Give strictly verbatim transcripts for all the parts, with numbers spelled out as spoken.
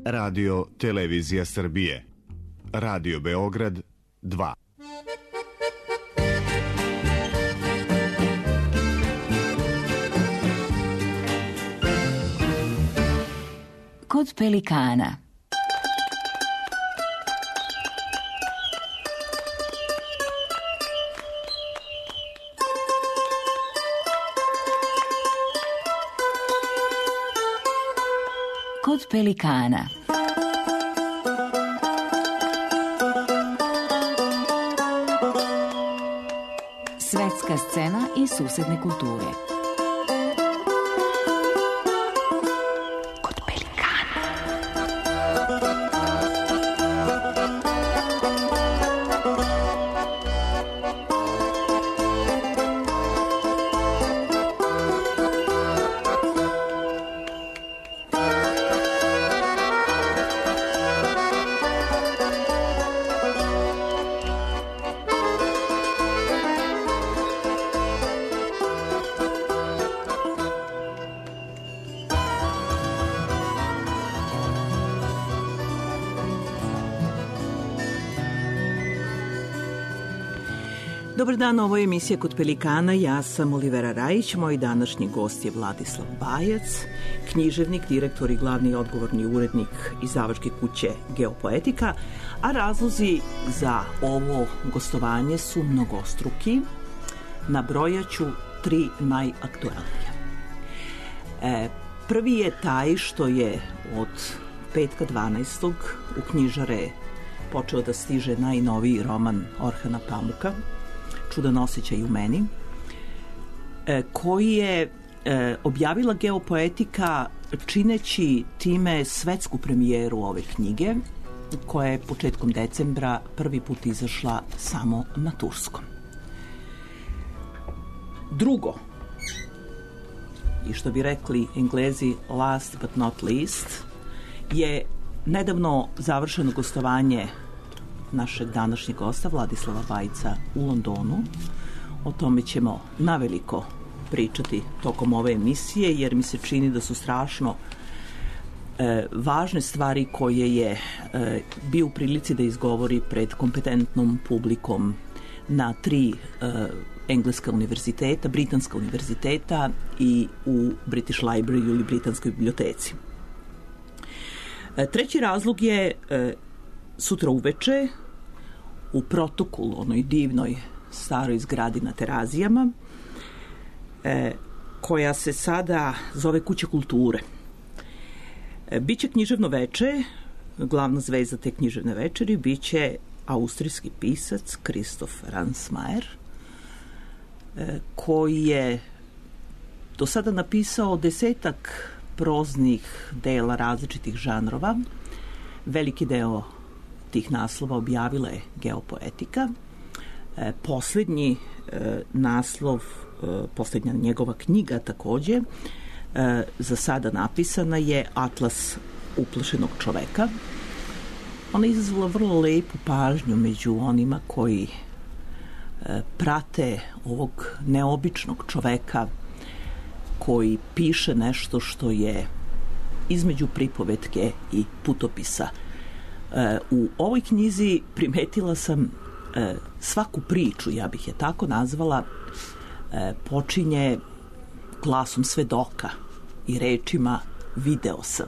Radio Televizija Srbije. Radio Beograd dva. Kod pelikana. Kod pelikana. Svetska scena i susedne kulture. Kod pelikana. Dobar dan, ovo je emisija Kod pelikana, ja sam Olivera Rajić, moj današnji gost je Vladislav Bajac, književnik, direktor i glavni odgovorni urednik izdavačke kuće Geopoetika, a razlozi za ovo gostovanje su mnogostruki, nabrojaću tri najaktualnije. E, prvi je taj što je od petka dvanaestog u knjižare počeo da stiže najnoviji roman Orhana Pamuka, Čudan osjećaj u meni, koji je objavila Geopoetika čineći time svetsku premijeru ove knjige, koja je početkom decembra prvi put izašla samo na turskom. Drugo, i što bi rekli Englezi last but not least, je nedavno završeno gostovanje našeg današnjeg gosta Vladislava Bajca u Londonu. O tome ćemo naveliko pričati tokom ove emisije, jer mi se čini da su strašno e, važne stvari koje je e, bio u prilici da izgovori pred kompetentnom publikom na tri e, engleska univerziteta, britanska univerziteta i u British Library ili Britanskoj biblioteci. E, treći razlog je e, sutra uveče u Protokolu, onoj divnoj staroj zgradi na Terazijama, e, koja se sada zove Kuća kulture. E, biće književno veče, glavna zvezda te književne večeri biće austrijski pisac Kristof Ransmayr, e, koji je do sada napisao desetak proznih dela različitih žanrova. Veliki deo tih naslova objavila je Geopoetika. E, posljednji e, naslov, e, posljednja njegova knjiga takođe, e, za sada napisana je Atlas uplašenog čoveka. Ona je izazvala vrlo lepu pažnju među onima koji e, prate ovog neobičnog čoveka koji piše nešto što je između pripovetke i putopisa. U ovoj knjizi primetila sam e, svaku priču, ja bih je tako nazvala, e, počinje glasom svedoka i rečima video sam.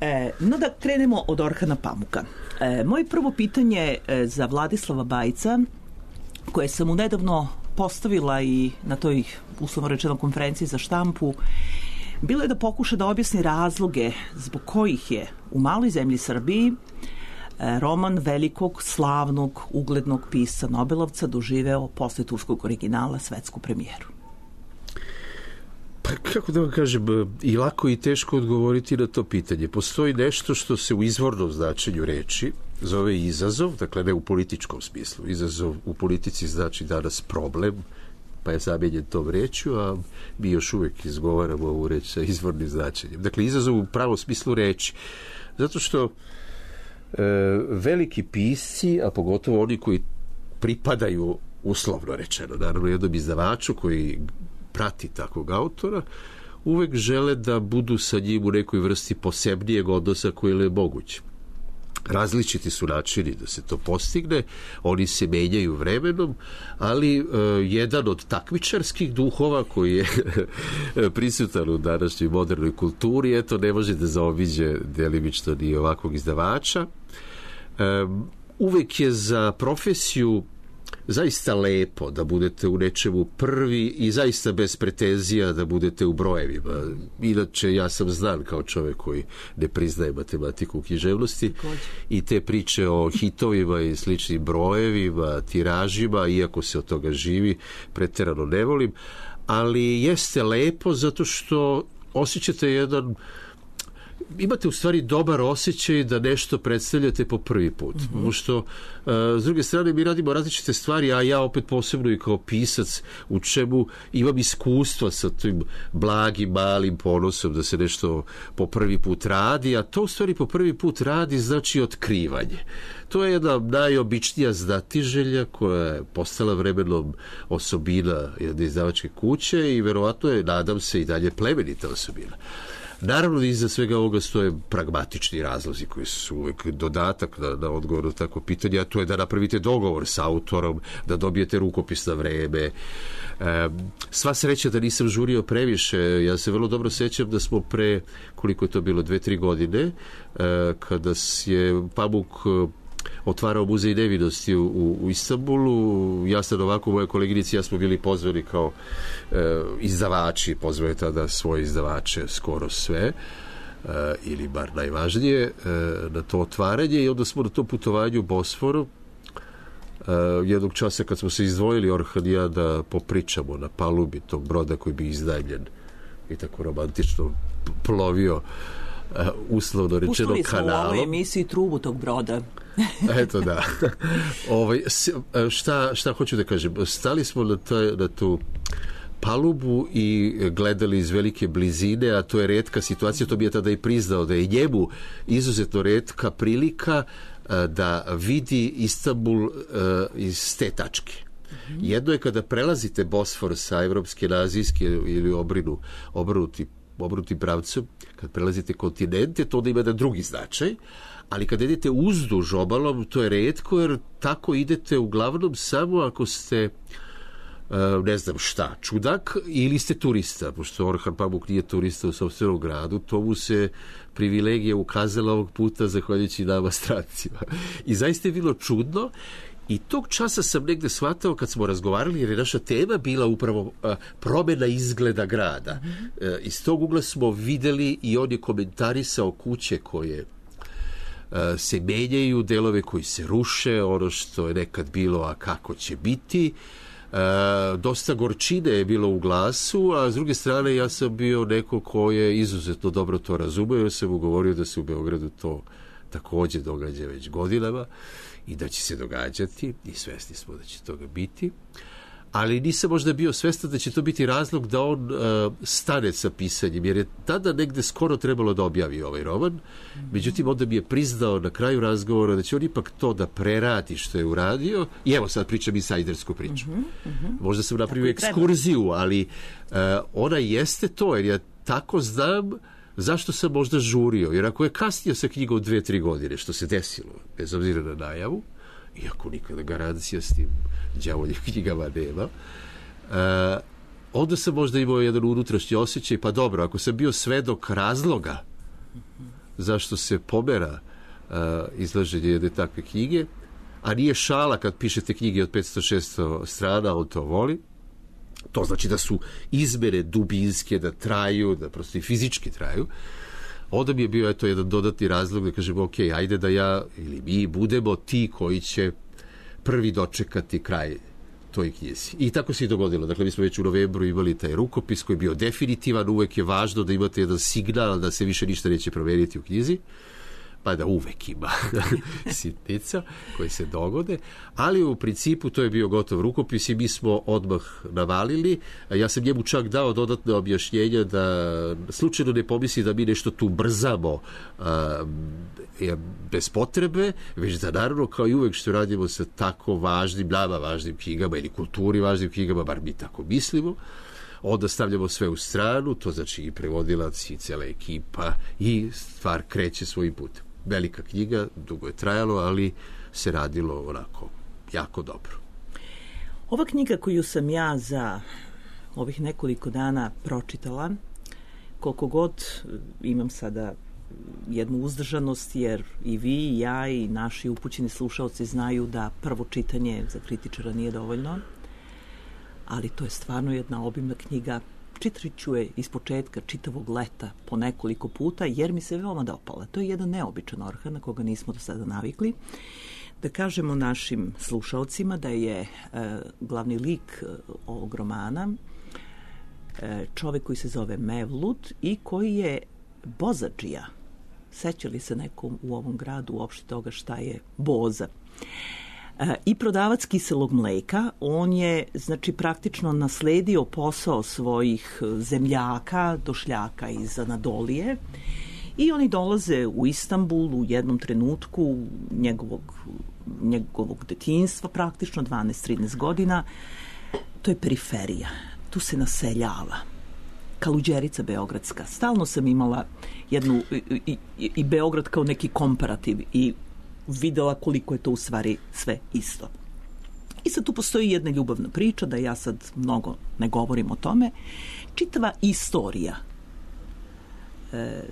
E, no da krenemo od Orhana Pamuka. E, moje prvo pitanje e, za Vladislava Bajca, koje sam mu nedavno postavila i na toj uslovno rečeno konferenciji za štampu, bilo je da pokuša da objasni razloge zbog kojih je u maloj zemlji Srbiji roman velikog, slavnog, uglednog pisca Nobelovca doživeo posle turskog originala svetsku premijeru. Pa kako da vam kažem, i lako i teško odgovoriti na to pitanje. Postoji nešto što se u izvornom značenju reči zove izazov, dakle ne u političkom smislu. Izazov u politici znači danas problem, pa je zamijenjen tom rečju, a mi još uvijek izgovaramo ovu reč sa izvornim značenjem. Dakle, izazov u pravom smislu reči. Zato što e, veliki pisci, a pogotovo oni koji pripadaju, uslovno rečeno, naravno jednom izdavaču koji prati takvog autora, uvek žele da budu sa njim u nekoj vrsti posebnijeg odnosa koji je moguće. Različiti su načini da se to postigne, oni se menjaju vremenom, ali uh, jedan od takmičarskih duhova koji je prisutan u današnjoj modernoj kulturi, eto, ne može da zaobiđe delimično ni ovakvog izdavača. Um, uvek je za profesiju zaista lepo da budete u nečemu prvi i zaista bez pretenzija da budete u brojevima. Inače, ja sam znan kao čovjek koji ne priznaje matematiku u književnosti i te priče o hitovima i sličnim brojevima, tiražima, iako se od toga živi, pretjerano ne volim, ali jeste lepo zato što osjećate jedan imate u stvari dobar osjećaj da nešto predstavljate po prvi put. Mm-hmm. Pošto, uh, s druge strane, mi radimo različite stvari, a ja opet posebno i kao pisac u čemu imam iskustva sa tim blagim, malim ponosom da se nešto po prvi put radi, a to u stvari po prvi put radi znači otkrivanje. To je jedna najobičnija znatiželja koja je postala vremenom osobina jedne izdavačke kuće i verovatno je, nadam se, i dalje plemenita osobina. Naravno, iza svega ovoga stoje pragmatični razlozi koji su uvek dodatak na, na odgovor na tako pitanje, a to je da napravite dogovor sa autorom, da dobijete rukopis na vreme. E, sva sreća da nisam žurio previše. Ja se vrlo dobro sećam da smo pre, koliko je to bilo, dve, tri godine, e, kada je Pamuk otvarao muzej nevinosti u, u, u Istanbulu. Ja sam ovako, moja koleginica, ja smo bili pozvani kao e, izdavači, pozvali tada svoje izdavače skoro sve, e, ili bar najvažnije, e, na to otvaranje, i onda smo na tom putovanju Bosforu e, jednog časa kad smo se izdvojili, Orhan i ja, da popričamo na palubi tog broda koji bi iznajmljen i tako romantično plovio, Uh, uslovno rečeno kanalom. Pustili smo u ovoj emisiji trubu tog broda. Eto da. Ovaj, šta, šta hoću da kažem? Stali smo na, taj, na tu palubu i gledali iz velike blizine, a to je retka situacija, to bi je tada i priznao, da je njemu izuzetno retka prilika uh, da vidi Istanbul uh, iz te tačke. Mm-hmm. Jedno je kada prelazite Bosfor sa evropske na azijske ili obrinu, obrnuti obrnutim pravcem, kad prelazite kontinente, to onda ima jedan drugi značaj, ali kad idete uzduž obalom, to je retko, jer tako idete uglavnom samo ako ste ne znam šta, čudak, ili ste turista, pošto Orhan Pamuk nije turista u sopstvenom gradu, to mu se privilegija ukazala ovog puta zahvaljujući nama strancima. I zaista je bilo čudno. I tog časa sam negde shvatao kad smo razgovarali, jer je naša tema bila upravo a, promjena izgleda grada. Mm-hmm. E, iz tog ugla smo videli i on je komentarisao kuće koje a, se menjaju, delove koji se ruše, ono što je nekad bilo, a kako će biti. A, dosta gorčine je bilo u glasu, a s druge strane ja sam bio neko ko je izuzetno dobro to razumeo, jer sam mu govorio da se u Beogradu to također događa već godinama i da će se događati, i svesni smo da će toga biti, ali nisam možda bio svestan da će to biti razlog da on uh, stane sa pisanjem, jer je tada negde skoro trebalo da objavi ovaj roman. Mm-hmm. Međutim, onda mi je priznao na kraju razgovora da će on ipak to da preradi što je uradio, i evo sad pričam insajdersku priču. Mm-hmm. Možda sam napravio ekskurziju, ali uh, ona jeste to, jer ja tako znam zašto sam možda žurio, jer ako je kasnio sa knjigom dve, tri godine, što se desilo, bez obzira na najavu, iako nikada garancija s tim đavoljim knjigama nema, uh, onda sam možda imao jedan unutrašnji osjećaj, pa dobro, ako sam bio svedok razloga zašto se pomera uh, izlaženje jedne takve knjige, a nije šala kad pišete knjige od petsto šesto strana, on to voli, to znači da su izmene dubinske, da traju, da prosto i fizički traju, onda mi je bio eto jedan dodatni razlog da kažem, ok, ajde da ja ili mi budemo ti koji će prvi dočekati kraj toj knjizi. I tako se i dogodilo. Dakle, mi smo već u novembru imali taj rukopis koji je bio definitivan, uvek je važno da imate jedan signal da se više ništa neće promeniti u knjizi, pa da uvek ima sitnica koje se dogode, ali u principu to je bio gotov rukopis i mi smo odmah navalili. Ja sam njemu čak dao dodatne objašnjenja da slučajno ne pomisli da mi nešto tu brzamo a, bez potrebe, već da naravno kao i uvek što radimo sa tako važnim, nama važnim knjigama ili kulturi važnim knjigama, bar mi tako mislimo, onda stavljamo sve u stranu, to znači i prevodilac i cijela ekipa i stvar kreće svojim putem. Velika knjiga, dugo je trajalo, ali se radilo onako jako dobro. Ova knjiga koju sam ja za ovih nekoliko dana pročitala, koliko god imam sada jednu uzdržanost, jer i vi i ja i naši upućeni slušaoci znaju da prvo čitanje za kritičara nije dovoljno, ali to je stvarno jedna obimna knjiga. Čitat ću je iz početka čitavog leta po nekoliko puta, jer mi se veoma dopala. To je jedan neobičan orhan na koga nismo do sada navikli. Da kažemo našim slušaocima da je e, glavni lik ovog romana e, čovek koji se zove Mevlut i koji je bozadžija. Seća li se nekom u ovom gradu uopšte toga šta je boza? E, I prodavac kiselog mleka. On je, znači, praktično nasledio posao svojih zemljaka, došljaka iz Anadolije, i oni dolaze u Istanbul u jednom trenutku njegovog, njegovog detinjstva, praktično dvanaest trinaest godina. To je periferija. Tu se naseljava. Kaluđerica beogradska. Stalno sam imala jednu i, i, i Beograd kao neki komparativ i videla koliko je to u stvari sve isto. I sad tu postoji jedna ljubavna priča, da ja sad mnogo ne govorim o tome. Čitava istorija, e,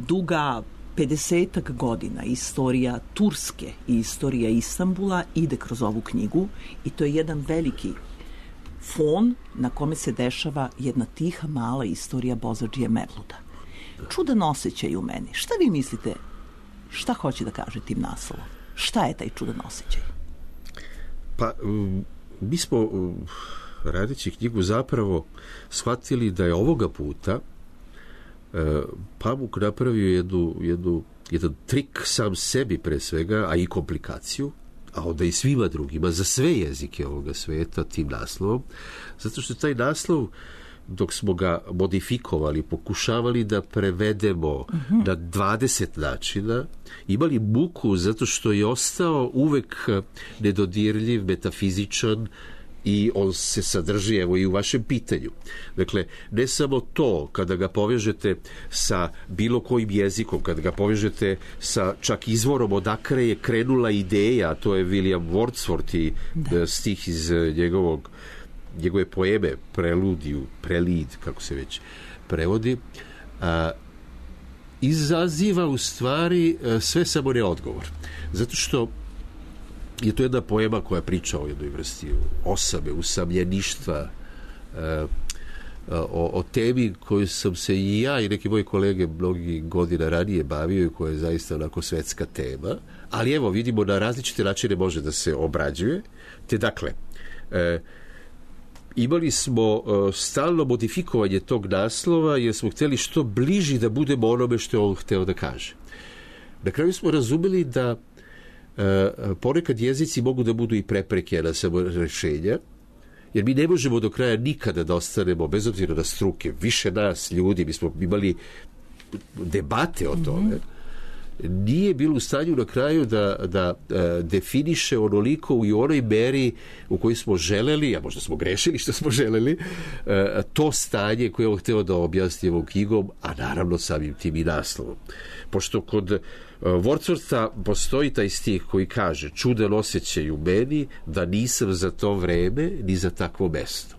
duga pedesetak godina, istorija Turske i istorija Istanbula ide kroz ovu knjigu i to je jedan veliki fon na kome se dešava jedna tiha mala istorija bozadžije Mevluda. Čudan osjećaj u meni. Šta vi mislite? Šta hoće da kaže tim naslovom? Šta je taj čudan osjećaj? Pa, mi smo, radeći knjigu, zapravo shvatili da je ovoga puta Pamuk napravio jednu, jednu, jedan trik sam sebi pre svega, a i komplikaciju, a onda i svima drugima, za sve jezike ovoga sveta tim naslovom, zato što taj naslov, dok smo ga modifikovali, pokušavali da prevedemo uh-huh. na dvadeset načina, imali muku zato što je ostao uvek nedodirljiv, metafizičan i on se sadrži, evo, i u vašem pitanju. Dakle, ne samo to, kada ga povežete sa bilo kojim jezikom, kada ga povežete sa čak izvorom odakle je krenula ideja, a to je William Wordsworth i da. stih iz njegovog njegove poeme Preludiju, Prelid, kako se već prevodi, a, izaziva u stvari a, sve samo ne odgovor. Zato što je to jedna poema koja priča o jednoj vrsti osame, usamljeništva, a, o, o temi koju sam se i ja i neki moji kolege mnogi godina ranije bavio i koja je zaista onako svetska tema, ali evo vidimo na različite načine može da se obrađuje, te dakle a, imali smo uh, stalno modifikovanje tog naslova jer smo htjeli što bliži da budemo onome što je on hteo da kaže. Na kraju smo razumeli da uh, ponekad jezici mogu da budu i prepreke na samo rešenja, jer mi ne možemo do kraja nikada da ostanemo, bez obzira na struke, više nas ljudi, mi smo imali debate o tome, mm-hmm. nije bilo u stanju na kraju da, da e, definiše onoliko i u onoj meri u kojoj smo želeli, a možda smo grešili što smo želeli, e, to stanje koje je on hteo da objasni ovom knjigom, a naravno samim tim i naslovom. Pošto kod e, Wordswortha postoji taj stih koji kaže: čudan osjećaj u meni da nisam za to vreme ni za takvo mesto.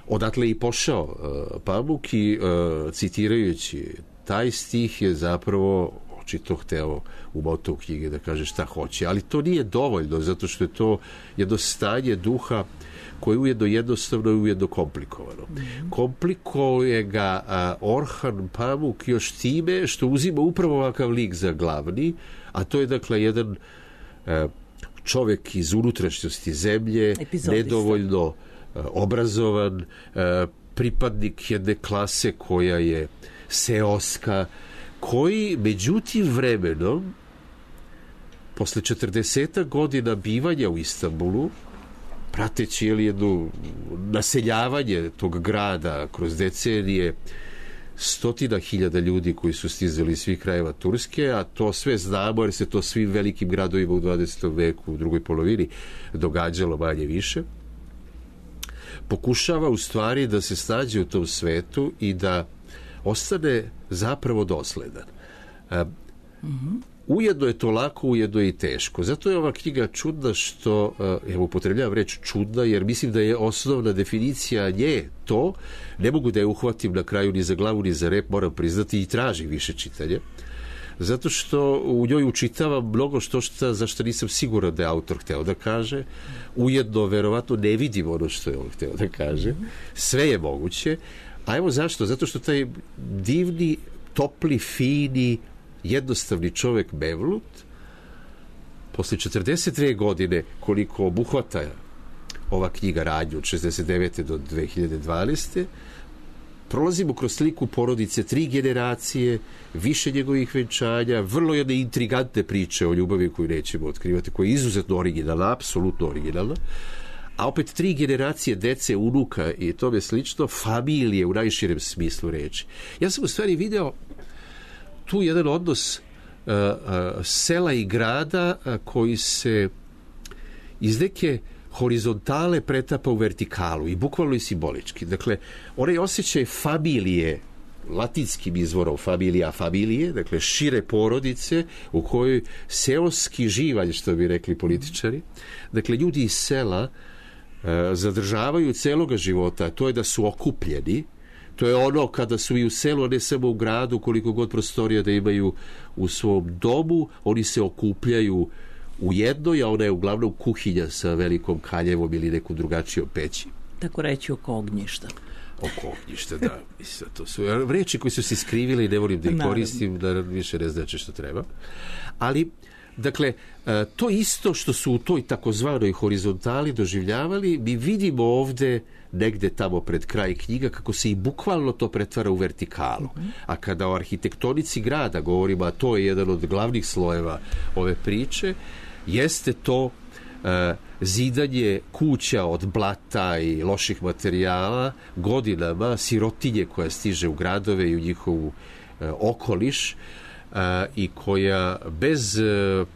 Odatle i pošao e, Pamuk i e, citirajući taj stih je zapravo očito hteo u motu knjige da kaže šta hoće, ali to nije dovoljno, zato što je to jedno stanje duha koje je ujedno jednostavno i ujedno komplikovano. Mm-hmm. Komplikuje ga a, Orhan Pamuk još time što uzima upravo ovakav lik za glavni, a to je dakle jedan a, čovjek iz unutrašnjosti zemlje, epizodista, nedovoljno a, obrazovan, a, pripadnik jedne klase koja je seoska, koji međutim vremenom posle četrdeset godina bivanja u Istanbulu, prateći jedno naseljavanje tog grada kroz decenije, stotina hiljada ljudi koji su stizali iz svih krajeva Turske, a to sve znamo jer se to svim velikim gradovima u dvadesetom veku, u drugoj polovini događalo manje više. pokušava u stvari da se snađe u tom svetu i da ostane zapravo dosledan. Mm-hmm. Ujedno je to lako, ujedno je i teško. Zato je ova knjiga čudna što, evo upotrebljavam reč čudna, jer mislim da je osnovna definicija nje to, ne mogu da je uhvatim na kraju ni za glavu ni za rep, moram priznati, i tražim više čitanja. Zato što u njoj učitavam mnogo što šta, za što nisam siguran da je autor hteo da kaže. Ujedno, verovatno, ne vidim ono što je on hteo da kaže. Sve je moguće. A evo zašto? Zato što taj divni, topli, fini, jednostavni čovek Mevlut, posle četrdeset dve godine, koliko obuhvata ova knjiga radnju od šezdeset devete do dve hiljade dvanaeste, prolazimo kroz sliku porodice tri generacije, više njegovih venčanja, vrlo jedne intrigantne priče o ljubavi koju nećemo otkrivati, koja je izuzetno originalna, apsolutno originalna, a opet tri generacije dece, unuka i tome slično, familije u najširem smislu reči. Ja sam u stvari video tu jedan odnos uh, uh, sela i grada uh, koji se iz neke horizontale pretapa u vertikalu i bukvalno i simbolički. Dakle, onaj osjećaj familije, latinskim izvorom familija, familije, dakle šire porodice u kojoj seoski živalj, što bi rekli političari, dakle ljudi iz sela uh, zadržavaju celoga života, to je da su okupljeni. To je ono kada su i u selu, a ne samo u gradu, koliko god prostorija da imaju u svom domu, oni se okupljaju u jednoj, a ona je uglavnom kuhinja sa velikom kaljevom ili nekom drugačijom peći. Tako reći oko ognjišta. Oko ognjišta, da. Mislim, to su reči koje su se skrivile i ne volim da ih koristim, da više ne znači što treba. Ali, dakle, to isto što su u toj takozvanoj horizontali doživljavali, mi vidimo ovde negde tamo pred kraj knjiga kako se i bukvalno to pretvara u vertikalu. Mm-hmm. A kada o arhitektonici grada govorimo, a to je jedan od glavnih slojeva ove priče, jeste to uh, zidanje kuća od blata i loših materijala godinama, sirotinje koja stiže u gradove i u njihovu uh, okoliš, i koja bez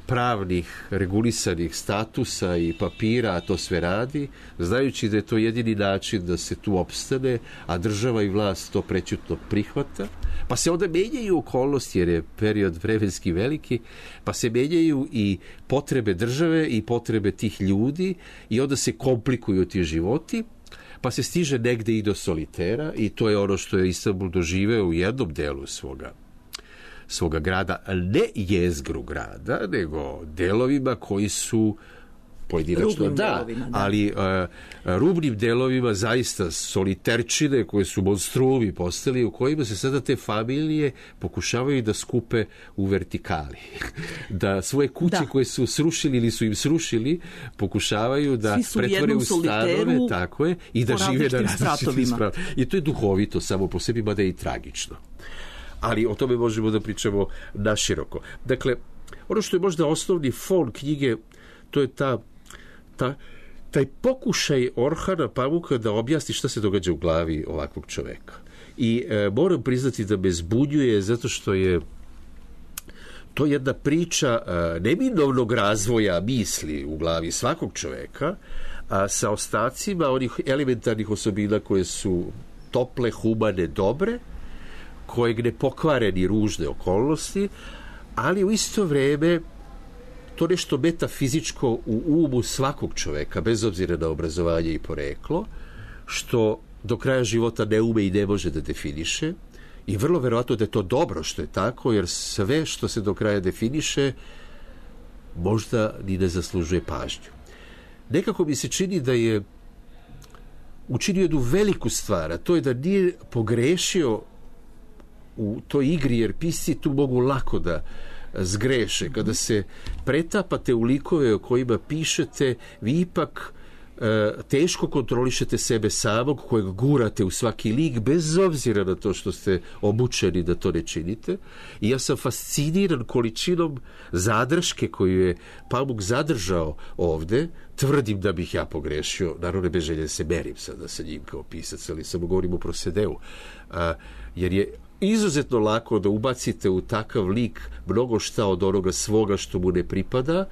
pravnih regulisanih statusa i papira to sve radi, znajući da je to jedini način da se tu opstane, a država i vlast to prećutno prihvata, pa se onda menjaju okolnosti, jer je period vremenski veliki, pa se menjaju i potrebe države i potrebe tih ljudi i onda se komplikuju ti životi, pa se stiže negde i do solitera i to je ono što je Istanbul doživeo u jednom delu svoga svoga grada, ne jezgru grada, nego delovima koji su pojedinačno, da, delovima, da, ali uh, rubnim delovima zaista soliterčine koje su monstrumi postali, u kojima se sada te familije pokušavaju da skupe u vertikali. Da svoje kuće da. koje su srušili ili su im srušili, pokušavaju da pretvore u stanove, tako je, i da žive na različitim spratovima. I to je duhovito samo po sebi, mada je i tragično. Ali o tome možemo da pričamo naširoko. Dakle, ono što je možda osnovni fon knjige, to je ta, ta, taj pokušaj Orhana Pamuka da objasni šta se događa u glavi ovakvog čoveka. I e, moram priznati da me zbunjuje zato što je to jedna priča e, neminovnog razvoja misli u glavi svakog čoveka, a sa ostacima onih elementarnih osobina koje su tople, humane, dobre, kojeg ne pokvare ni ružne okolnosti, ali u isto vreme to nešto metafizičko u umu svakog čoveka, bez obzira na obrazovanje i poreklo, što do kraja života ne ume i ne može da definiše, i vrlo verovatno da je to dobro što je tako, jer sve što se do kraja definiše možda ni ne zaslužuje pažnju. Nekako mi se čini da je učinio jednu veliku stvar, a to je da nije pogrešio u toj igri, jer pisci tu mogu lako da zgreše. Kada se pretapate u likove o kojima pišete, vi ipak e, teško kontrolišete sebe samog, kojeg gurate u svaki lik, bez obzira na to što ste obučeni da to ne činite. I ja sam fasciniran količinom zadrške koju je Pamuk zadržao ovde. Tvrdim da bih ja pogrešio, naravno bez želje se merim sada sa njim kao pisac, ali samo govorim o Prosedeu. A, jer je izuzetno lako da ubacite u takav lik mnogo šta od onoga svoga što mu ne pripada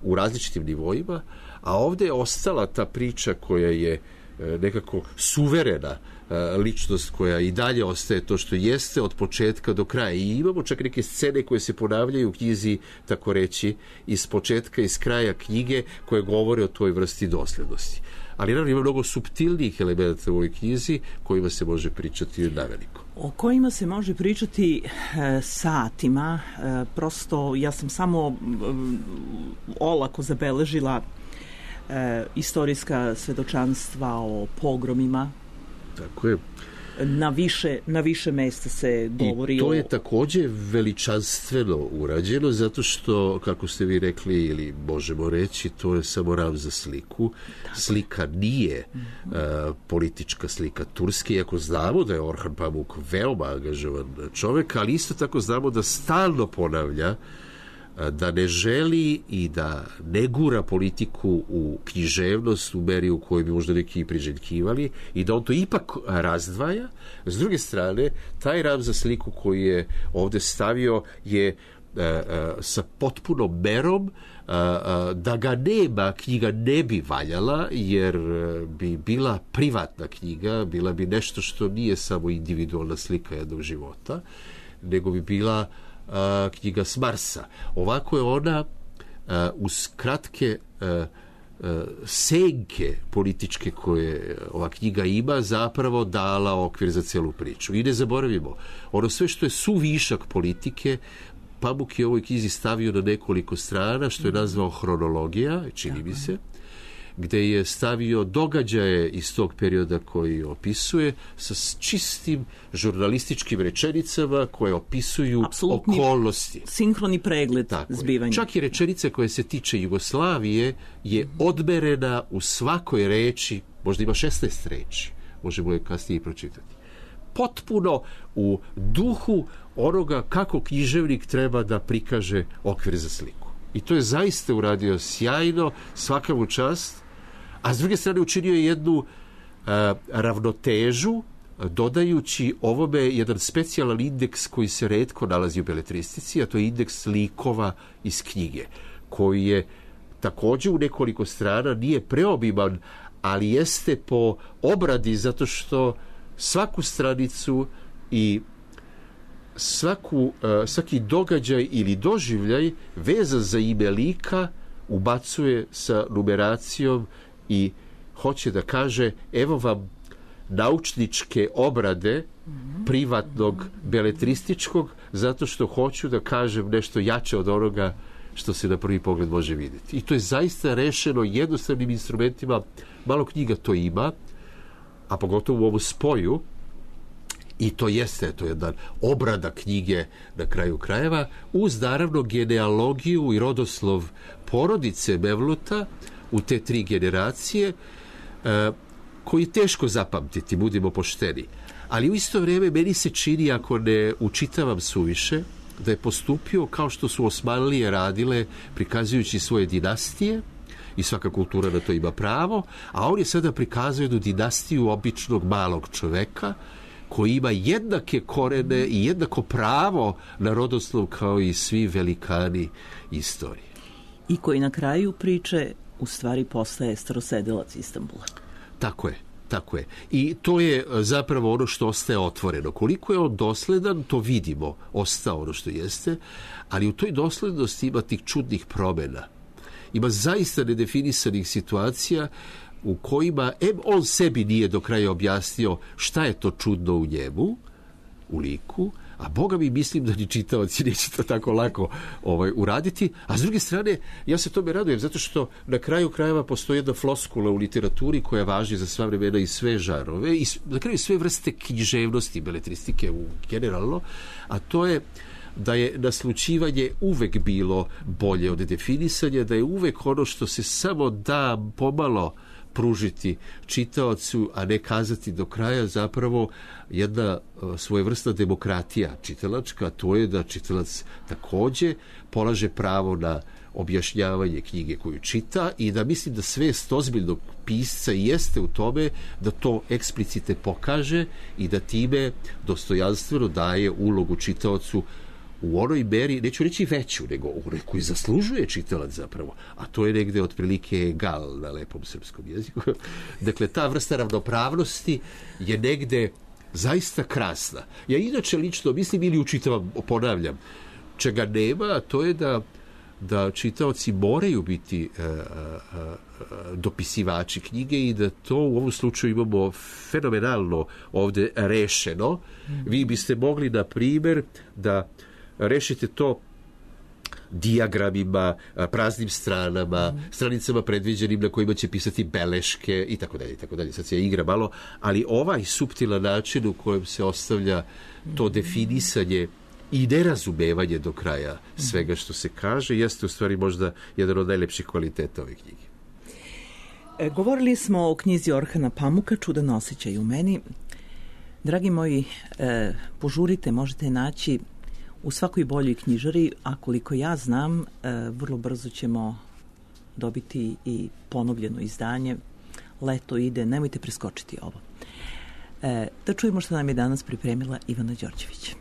u različitim nivoima, a ovde je ostala ta priča koja je nekako suverena ličnost koja i dalje ostaje to što jeste od početka do kraja. I imamo čak neke scene koje se ponavljaju u knjizi, tako reći, iz početka, iz kraja knjige, koje govore o toj vrsti doslednosti. Ali naravno ima mnogo suptilnijih elementa u ovoj knjizi kojima se može pričati naveliko. O kojima se može pričati e, satima. E, prosto ja sam samo e, olako zabeležila e, istorijska svedočanstva o pogromima. Tako je. Na više, na više mesta se govori. I to je o... također veličanstveno urađeno, zato što, kako ste vi rekli, ili možemo reći, to je samo ram za sliku. Tako. Slika nije mm-hmm. uh, politička slika Turske, iako znamo da je Orhan Pamuk veoma angažovan čovjek, ali isto tako znamo da stalno ponavlja da ne želi i da ne gura politiku u književnost u meri u kojoj bi možda neki priželjkivali i da on to ipak razdvaja. S druge strane, taj ram za sliku koji je ovdje stavio je a, a, sa potpunom merom. A, a, da ga nema, knjiga ne bi valjala, jer bi bila privatna knjiga, bila bi nešto što nije samo individualna slika jednog života, nego bi bila Uh, knjiga s Marsa. Ovako je ona uh, uz kratke uh, uh, senke političke koje ova knjiga ima zapravo dala okvir za celu priču. I ne zaboravimo, ono sve što je suvišak politike Pamuk je u ovoj knjizi stavio na nekoliko strana, što je nazvao hronologija, čini mi se, gde je stavio događaje iz tog perioda koji opisuje sa čistim žurnalističkim rečenicama koje opisuju apsolutni okolnosti. Sinhroni pregled Tako zbivanja. Je. Čak i rečenica koja se tiče Jugoslavije je odmerena u svakoj reči, možda ima šesnaest reči, možemo je kasnije i pročitati. Potpuno u duhu onoga kako književnik treba da prikaže okvir za sliku. I to je zaista uradio sjajno, svaka mu čast, a s druge strane učinio je jednu uh, ravnotežu, dodajući ovome jedan specijalan indeks koji se retko nalazi u beletristici, a to je indeks likova iz knjige, koji je također u nekoliko strana, nije preobiman, ali jeste po obradi, zato što svaku stranicu i Svaku, svaki događaj ili doživljaj vezan za ime lika ubacuje sa numeracijom i hoće da kaže evo vam naučničke obrade privatnog beletrističkog, zato što hoću da kažem nešto jače od onoga što se na prvi pogled može vidjeti. I to je zaista rešeno jednostavnim instrumentima. Malo knjiga to ima, a pogotovo u ovom spoju. I to jeste, to je jedna obrada knjige na kraju krajeva, uz naravno genealogiju i rodoslov porodice Mevluta u te tri generacije, e, koji je teško zapamtiti, budimo pošteni. Ali u isto vrijeme meni se čini, ako ne učitavam suviše, da je postupio kao što su Osmanlije radile, prikazujući svoje dinastije, i svaka kultura na to ima pravo, a on je sada prikazao jednu dinastiju običnog malog čoveka, koji ima jednake korene i jednako pravo na rodoslov kao i svi velikani istorije. I koji na kraju priče u stvari postaje starosedelac Istanbula. Tako je, tako je. I to je zapravo ono što ostaje otvoreno. Koliko je on dosledan, to vidimo, ostao ono što jeste, ali u toj doslednosti ima tih čudnih promjena. Ima zaista nedefinisanih situacija u kojima em on sebi nije do kraja objasnio šta je to čudno u njemu, u liku, a Boga mi mislim da ni čitaoci neće to tako lako ovaj, uraditi. A s druge strane, ja se tome radujem, zato što na kraju krajeva postoji jedna floskula u literaturi koja važi za sva vremena i sve žarove, i na kraju sve vrste književnosti, beletristike u generalno, a to je da je naslućivanje uvek bilo bolje od definisanja, da je uvek ono što se samo da pomalo pružiti čitaocu, a ne kazati do kraja, zapravo jedna svojevrsna demokratija čitalačka, to je da čitalac također polaže pravo na objašnjavanje knjige koju čita i da mislim da svest ozbiljnog pisca jeste u tome da to eksplicite pokaže i da time dostojanstveno daje ulogu čitaocu u onoj meri, neću reći veću, nego u koju zaslužuje čitalac zapravo, a to je negde otprilike egal na lepom srpskom jeziku. Dakle, ta vrsta ravnopravnosti je negde zaista krasna. Ja inače lično mislim ili učitavam, ponavljam, čega nema, a to je da da čitaoci moraju biti uh, uh, dopisivači knjige i da to u ovom slučaju imamo fenomenalno ovde rešeno. Mm. Vi biste mogli, na primjer, da rešite to dijagramima, praznim stranama, mm. stranicama predviđenim na kojima će pisati beleške i tako dalje, i tako dalje. Sad se igra malo, ali ovaj suptilan način u kojem se ostavlja to definisanje i nerazumevanje do kraja svega što se kaže jeste u stvari možda jedan od najlepših kvaliteta ove knjige. E, govorili smo o knjizi Orhana Pamuka, Čudan osjećaj u meni. Dragi moji, e, požurite, možete naći u svakoj boljoj knjižari, a koliko ja znam, e, vrlo brzo ćemo dobiti i ponovljeno izdanje. Leto ide, nemojte preskočiti ovo. E, da čujemo što nam je danas pripremila Ivana Đorđević.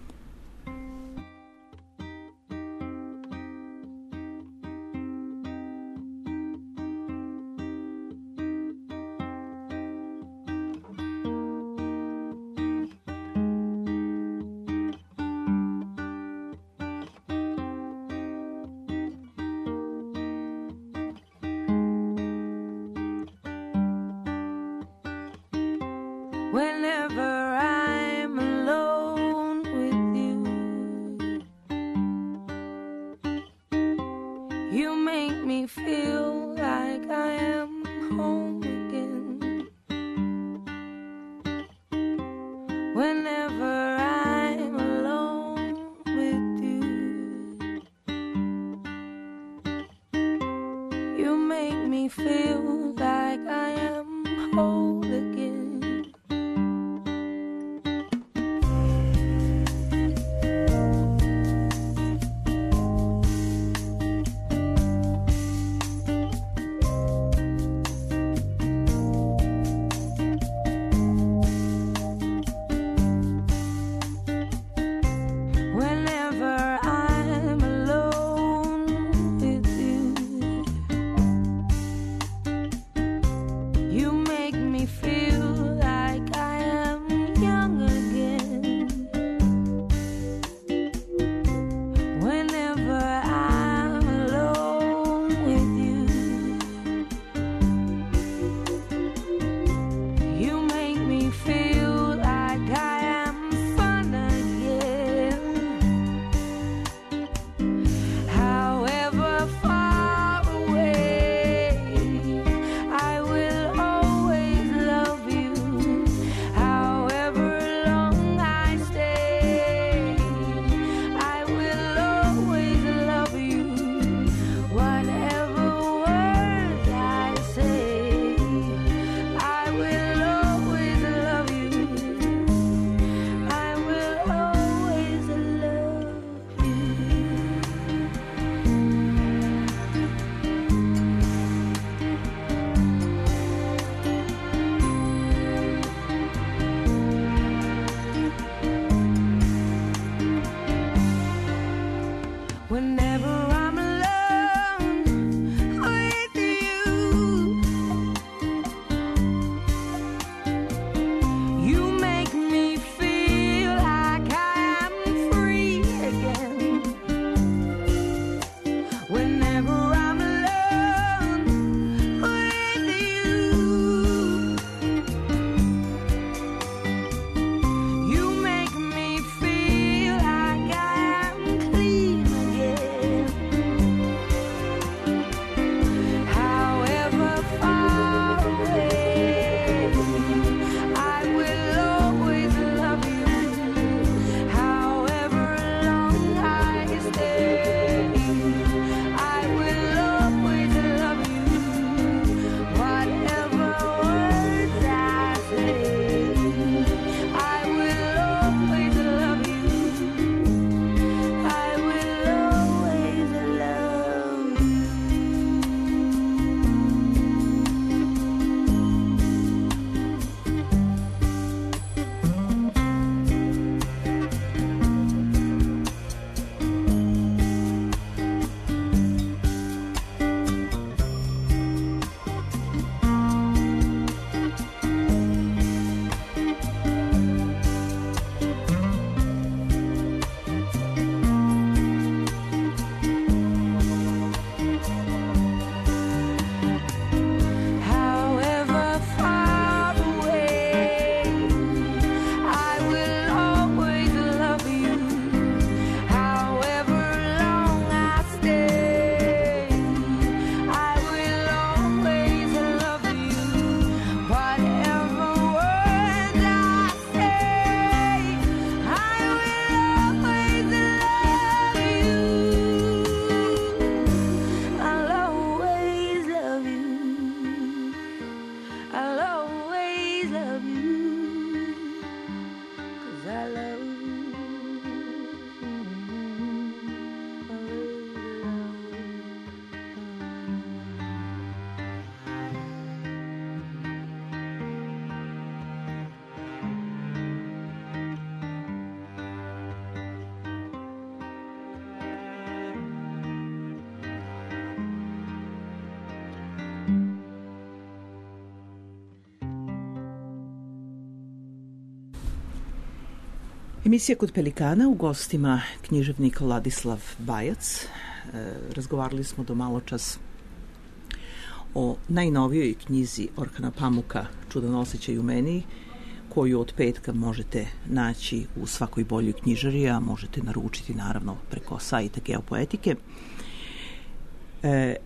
Whenever I'm alone with you, you make me feel like I am home again. Whenever I'm alone with you, you make me feel like I am whole again. Again. Emisija Kod Pelikana, u gostima književnik Ladislav Bajac. E, razgovarali smo do malo čas o najnovijoj knjizi Orhana Pamuka Čudan osjećaj u meni, koju od petka možete naći u svakoj boljoj knjižari, a možete naručiti naravno preko sajta Geopoetike. E,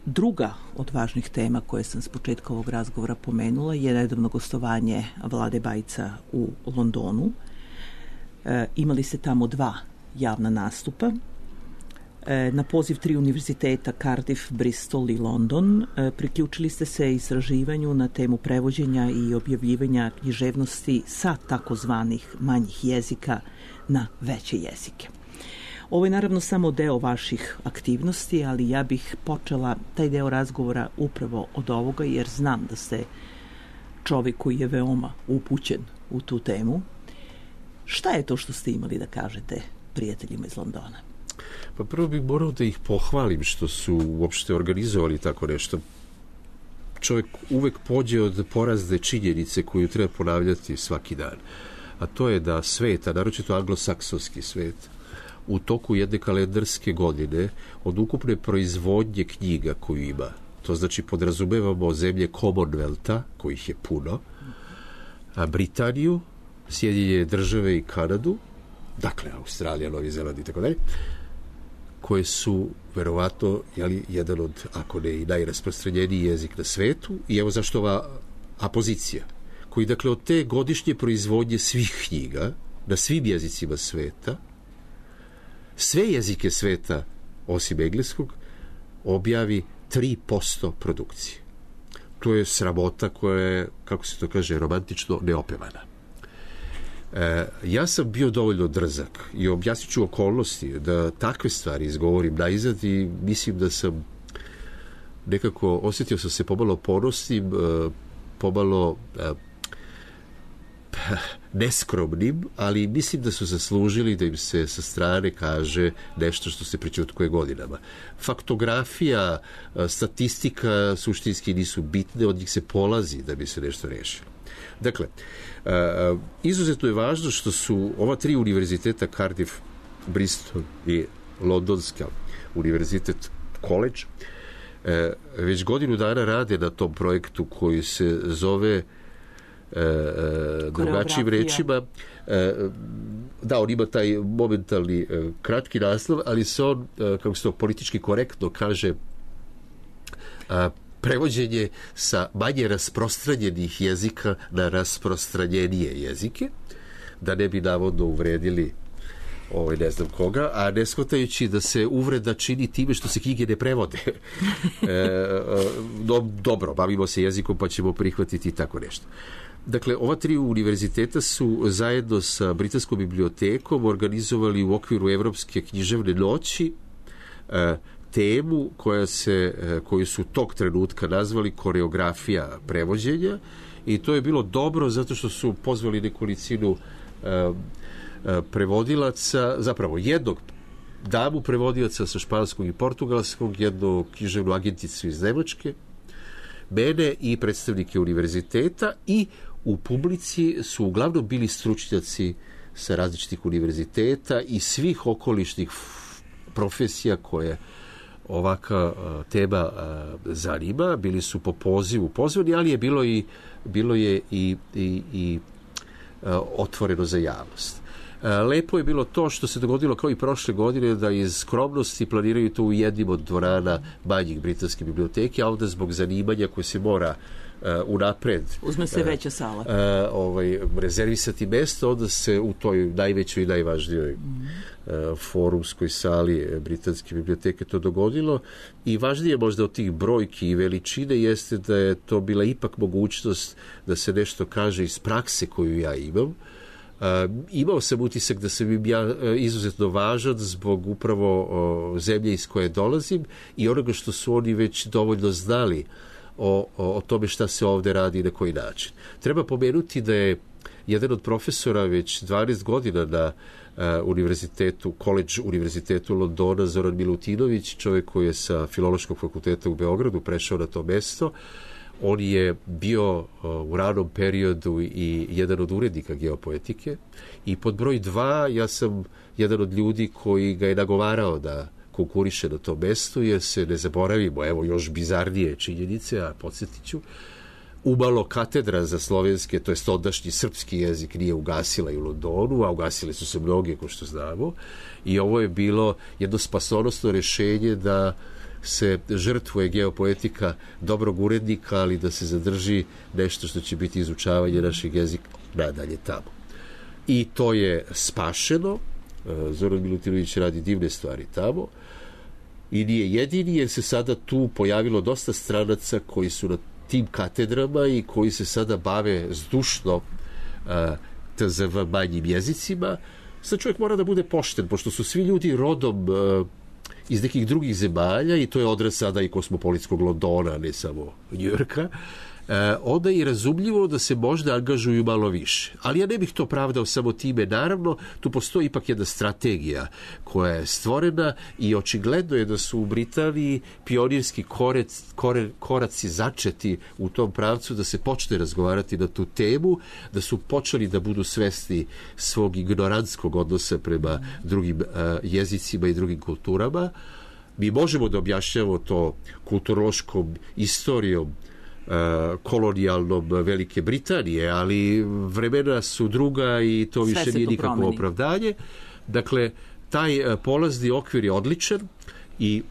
druga od važnih tema koje sam s početka ovog razgovora pomenula je nedavno gostovanje Vlade Bajca u Londonu. E, imali ste tamo dva javna nastupa. E, na poziv tri univerziteta Cardiff, Bristol i London e, priključili ste se istraživanju na temu prevođenja i objavljivanja književnosti sa takozvanih manjih jezika na veće jezike. Ovo je naravno samo deo vaših aktivnosti, ali ja bih počela taj deo razgovora upravo od ovoga, jer znam da ste čovjek koji je veoma upućen u tu temu. Šta je to što ste imali da kažete prijateljima iz Londona? Pa prvo bih morao da ih pohvalim što su uopšte organizovali tako nešto. Čovjek uvek pođe od porazne činjenice koju treba ponavljati svaki dan. A to je da svet, a naročito anglosaksonski svet, u toku jedne kalendarske godine od ukupne proizvodnje knjiga koju ima, to znači podrazumevamo zemlje Commonwealtha, kojih je puno, a Britaniju, Sjedinjene države i Kanadu, dakle Australija, Novi Zeland i tako dalje, koje su verovatno jeli, jedan od, ako ne i najrasprostranjeniji jezik na svetu, i evo zašto ova apozicija, koji dakle od te godišnje proizvodnje svih knjiga na svim jezicima sveta, sve jezike sveta osim engleskog objavi tri posto produkcije. To je sramota koja je, kako se to kaže, romantično neopevana. E, ja sam bio dovoljno drzak i objasnit ću okolnosti da takve stvari izgovorim najzad i mislim da sam nekako osjetio sam se pomalo ponosnim, pomalo neskromnim, ali mislim da su zaslužili da im se sa strane kaže nešto što se prećutkuje godinama. Faktografija, statistika suštinski nisu bitne, od njih se polazi da bi se nešto rešilo. Dakle, izuzetno je važno što su ova tri univerziteta, Cardiff, Bristol i Londonska univerzitet college, već godinu dana rade na tom projektu koji se zove drugačijim rečima. Da, on ima taj momentalni kratki naslov, ali se on, kako se to politički korektno kaže, prevođenje sa manje rasprostranjenih jezika na rasprostranjenije jezike, da ne bi navodno uvredili ovaj, ne znam koga, a ne shvatajući da se uvreda čini time što se knjige ne prevode. e, do, dobro, bavimo se jezikom pa ćemo prihvatiti tako nešto. Dakle, ova tri univerziteta su zajedno sa Britanskom bibliotekom organizovali u okviru Evropske književne noći e, temu koja se, koju su tog trenutka nazvali koreografija prevođenja, i to je bilo dobro zato što su pozvali nekolicinu e, prevodilaca, zapravo jednog damu prevodilaca sa španskog i portugalskog, jednu književnu agenticu iz Nemačke, mene i predstavnike univerziteta, i u publici su uglavnom bili stručnjaci sa različitih univerziteta i svih okolišnih profesija koje ovaka tema zanima. Bili su po pozivu pozvani, ali je bilo i bilo je i, i, i otvoreno za javnost. Lepo je bilo to što se dogodilo kao i prošle godine, da iz skromnosti planiraju to u jednim od dvorana manjih britanske biblioteke, a ovdje zbog zanimanja koje se mora uh, unapred uzme se veća sala uh, ovaj, rezervisati mesto, onda se u toj najvećoj i najvažnijoj mm. uh, forumskoj sali britanske biblioteke to dogodilo. I važnije možda od tih brojki i veličine jeste da je to bila ipak mogućnost da se nešto kaže iz prakse koju ja imam. Uh, imao sam utisak da sam im ja uh, izuzetno važan zbog upravo uh, zemlje iz koje dolazim i onoga što su oni već dovoljno znali o, o, o tome šta se ovde radi i na koji način. Treba pomenuti da je jedan od profesora već dvanaest godina na uh, univerzitetu, College univerzitetu Londona, Zoran Milutinović, čovjek koji je sa Filološkog fakulteta u Beogradu prešao na to mesto. On je bio u ranom periodu i jedan od urednika geopoetike i pod broj dva ja sam jedan od ljudi koji ga je nagovarao da konkuriše na tom mestu, jer se ne zaboravimo, evo još bizarnije činjenice, a podsjetit ću, umalo katedra za slovenske, to je ondašnji srpski jezik, nije ugasila i u Londonu, a ugasile su se mnoge, ko što znamo, i ovo je bilo jedno spasonosno rešenje da se žrtvuje geopoetika dobrog urednika, ali da se zadrži nešto što će biti izučavanje našeg jezika nadalje tamo. I to je spašeno. Zoran Milutinović radi divne stvari tamo i nije jedini, jer se sada tu pojavilo dosta stranaca koji su na tim katedrama i koji se sada bave zdušno T Z V manjim jezicima. Sad čovjek mora da bude pošten, pošto su svi ljudi rodom iz nekih drugih zemalja i to je odraz sada i kosmopolitskog Londona, ne samo Njujorka, e, onda je razumljivo da se možda angažuju malo više. Ali ja ne bih to pravdao samo time. Naravno, tu postoji ipak jedna strategija koja je stvorena i očigledno je da su u Britaniji pionirski korec, kore, koraci začeti u tom pravcu da se počne razgovarati na tu temu, da su počeli da budu svesni svog ignorantskog odnosa prema drugim uh, jezicima i drugim kulturama. Mi možemo da objašnjamo to kulturološkom istorijom kolonijalnom Velike Britanije, ali vremena su druga i to sve više nije nikakvo promeni. Opravdanje. Dakle, taj polazni okvir je odličan i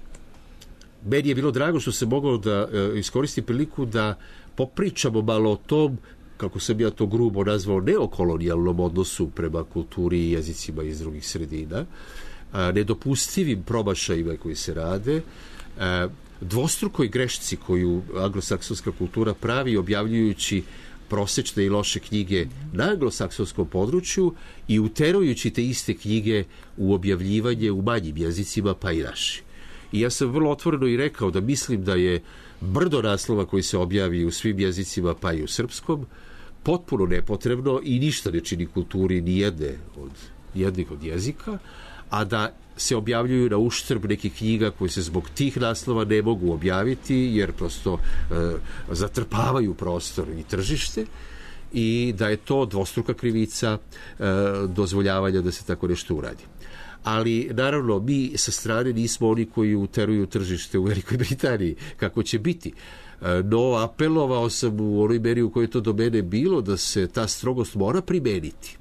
meni je bilo drago što se moglo da iskoristim priliku da popričamo malo o tom, kako sam ja to grubo nazvao, neokolonijalnom odnosu prema kulturi i jezicima iz drugih sredina, nedopustivim promašajima koji se rade, dvostrukoj grešci koju anglosaksonska kultura pravi objavljujući prosečne i loše knjige na anglosaksonskom području i uterujući te iste knjige u objavljivanje u manjim jezicima, pa i naši. I ja sam vrlo otvoreno i rekao da mislim da je brdo naslova koji se objavi u svim jezicima, pa i u srpskom, potpuno nepotrebno i ništa ne čini kulturi ni jedne od, jednih od jezika, a da se objavljuju na uštrb nekih knjiga koje se zbog tih naslova ne mogu objaviti, jer prosto e, zatrpavaju prostor i tržište, i da je to dvostruka krivica e, dozvoljavanja da se tako nešto uradi. Ali, naravno, mi sa strane nismo oni koji uteruju tržište u Velikoj Britaniji, kako će biti. E, no, apelovao sam u onoj meri u kojoj to do mene bilo da se ta strogost mora primeniti.